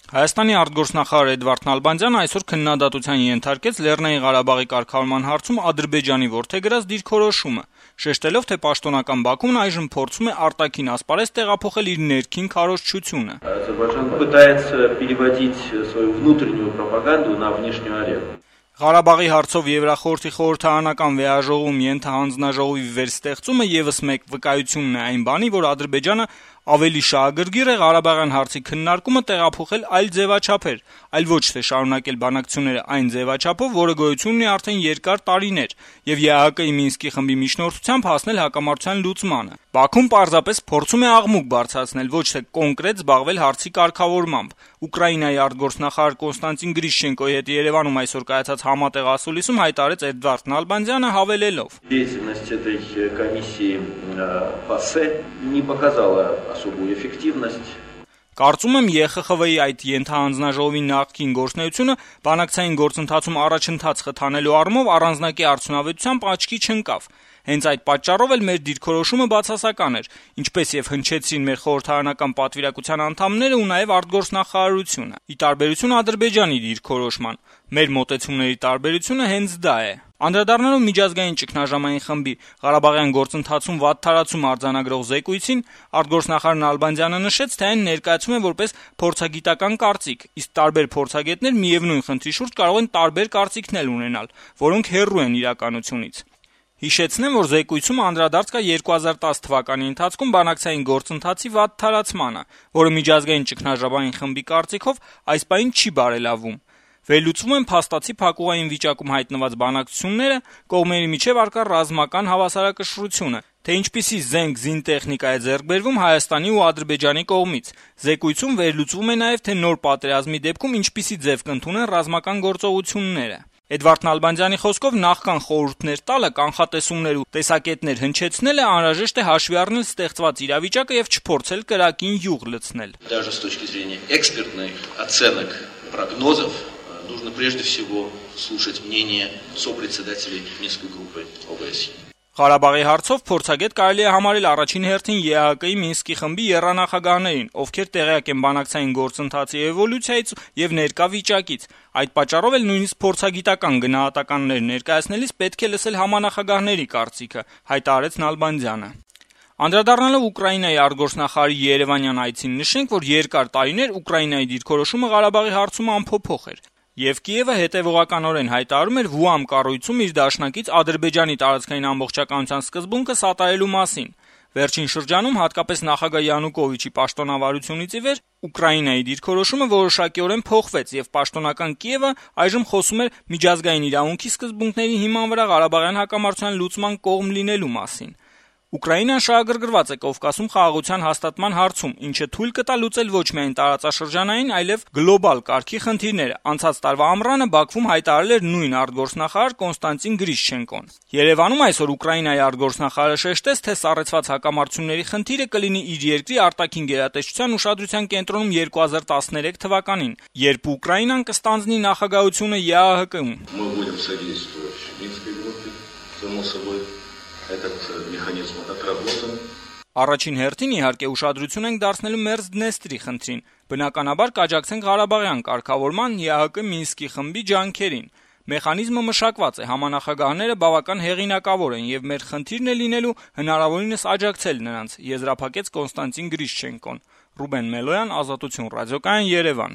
Հայաստանի արտգործնախարար Էդվարդ Նալբանդյանը այսօր քննադատության ենթարկեց Լեռնային Ղարաբաղի կարգավորման հարցում Ադրբեջանի որդեգրած դիրքորոշումը, շեշտելով, թե պաշտոնական Բաքուն այժմ փորձում է արտաքին ասպարեզ տեղափոխել իր ներքին քարոզչությունը։ Ադրբեջանը пытается переводить свою внутреннюю пропаганду на внешнюю арену. Ղարաբաղի հարցով Եվրախորհրդի խորհրդարանական վեաժողովում ենթահանձնաժողովի վերստեղծումը եւս մեկ վկայությունն է այն բանի, որ Ադրբեջանը ավելի շահագրգիռ է Ղարաբաղյան հարցի քննարկումը տեղափոխել այլ ձևաչափեր, այլ ոչ թե շարունակել բանակցությունները այն ձևաչափով, որը գոյություն ունի արդեն երկար տարիներ, եւ ԵԱՀԿ-ի Մինսկի խմբի միջնորդությամբ հասնել հակամարտության լուծմանը։ Բաքուն պարզապես փորձում է աղմուկ բարձրացնել, ոչ թե կոնկրետ զբաղվել հարցի կարգավորմամբ։ Ուկրաինայի արտգործնախարար Կոնստանտին Գրիշչենկոյի հետ Երևանում այսօր կայացած համատեղ ասուլիսում հայտարարեց Էդվարդ Նալբանդյանը հավելելով. Деятельность этой комиссии ՊԱՍԵ не показала особую эффективность. Կարծում եմ ԵԽԽՎ-ի այդ ենթահանձնաժողովի նախկին գործունեությունը բանակցային գործընթացում առաջընթաց խթանելու առումով առանձնակի արդյունավետությամբ աչքի չընկավ։ Հենց այդ պատճառով էլ մեր դիրքորոշումը բացասական էր, ինչպես եւ հնչեցրին մեր խորհրդարանական պատվիրակության անդամները ու նաեւ արտգործնախարարությունը։ Ի տարբերություն Ադրբեջանի դիրքորոշման, մեր մոտեցումների տարբերությունը հենց դա է։ Անդրադառնալով միջազգային ճգնաժամային խմբի Ղարաբաղյան գործընթացում վատթարացում արձանագրող զեկույցին, արտգործնախարար Նալբանդյանը նշեց, թե այն ներկայացում է որպես փորձագիտական կարծիք, իսկ տարբեր փորձագետներ միևնույն խնդրի շուրջ կարող են տարբեր կարծիքներ ունենալ, որոնք հեռու են իրականությունից։ Հիշեցնեմ, որ զեկույցում անդրադարձ կա 2010 թվականի ընթացքում բանակցային գործընթացի վատթարացմանը, որը միջազգային ճգնաժամային խմբի կարծիքով այս պահին չի բարելավվում։ Վերլուծվում են փաստացի փակուղային վիճակում հայտնված բանակցությունները, կողմերի միջև առկա ռազմական հավասարակշռությունը, թե ինչպիսի զենք զինտեխնիկա է ձեռք բերվում Հայաստանի ու Ադրբեջանի կողմից։ Զեկույցում վերլուծվում է նաև, թե նոր պատերազմի դեպքում ինչպիսի ձև կընդունեն ռազմական գործողությունները։ Էդվարդ Նալբանդյանի խոսքով նախքան խորհուրդներ տալը, կանխատեսումներ ու տեսակետներ հնչեցնելը անհրաժեշտ է հաշվի առնել ստեղծված իրավիճակը եւ չփորձել կրակին յուղ լցնել։ Даже с точки зрения экспертных оценок, прогнозов нужно прежде всего слушать мнение сопредседателей Минской группы ОБСЕ. Ղարաբաղի հարցով փորձագետ կարելի է համարել առաջին հերթին ԵԱՀԿ-ի Մինսկի խմբի եռանախագահներին, ովքեր տեղյակ են բանակցային գործընթացի էվոլյուցիայից եւ ներկա վիճակից։ Այդ պատճառով էլ նույնիսկ փորձագիտական գնահատականներ ներկայացնելիս պետք է լսել համանախագահների կարծիքը, հայտարարեց Նալբանդյանը։ Անդրադառնալով Ուկրաինայի արտգործնախարարի Երևանյան այցին, նշենք, որ երկար տարիներ Ուկրաինայի դիրքորոշումը Ղարաբաղի հարցում անփոփոխ էր։ Եվ Կիևը հետևողականորեն հայտարարում էր Վուամ կառույցում իր դաշնակից Ադրբեջանի տարածքային ամբողջականության սկզբունքը սատարելու մասին։ Վերջին շրջանում, հատկապես նախագահ Յանուկովիչի պաշտոնավարությունից ի վեր, Ուկրաինայի դիրքորոշումը որոշակիորեն փոխվեց եւ պաշտոնական Կիևը այժմ խոսում էր միջազգային իրավունքի սկզբունքների հիման վրա Ղարաբաղյան հակամարտության լուծման կողմ լինելու մասին։ Ուկրաինան շահագրգռված է Կովկասում խաղաղության հաստատման հարցում, ինչը թույլ կտա լուծել ոչ միայն տարածաշրջանային, այլև գլոբալ կարգի խնդիրները։ Անցած տարվա ամռանը Բաքվում հայտարարել էր նույն արտգործնախարար Կոնստանտին Գրիշչենկոն։ Երևանում այսօր Ուկրաինայի արտգործնախարարը շեշտեց, թե սառեցված հակամարտությունների խնդիրը կլինի իր երկրի արտաքին գերատեսչության ուշադրության կենտրոնում 2013 թվականին, երբ Ուկրաինան կստանձնի նախագահությունը ԵԱՀԿ-ում։ Этот механизм отработан. Առաջին հերթին իհարկե ուշադրություն ենք դարձնելու Մերձդնեստրի խնդրին։ Բնականաբար կաջակցենք Ղարաբաղյան կարգավորման ԵԱՀԿ Մինսկի խմբի ջանքերին։ Մեխանիզմը մշակված է, համանախագահները բավական հեղինակավոր են եւ մեր խնդիրն է լինելու հնարավորինս աջակցել նրանց, եզրափակեց Կոնստանտին Գրիշչենկոն։ Ռուբեն Մելոյան, Ազատություն ռադիոկայան, Երևան։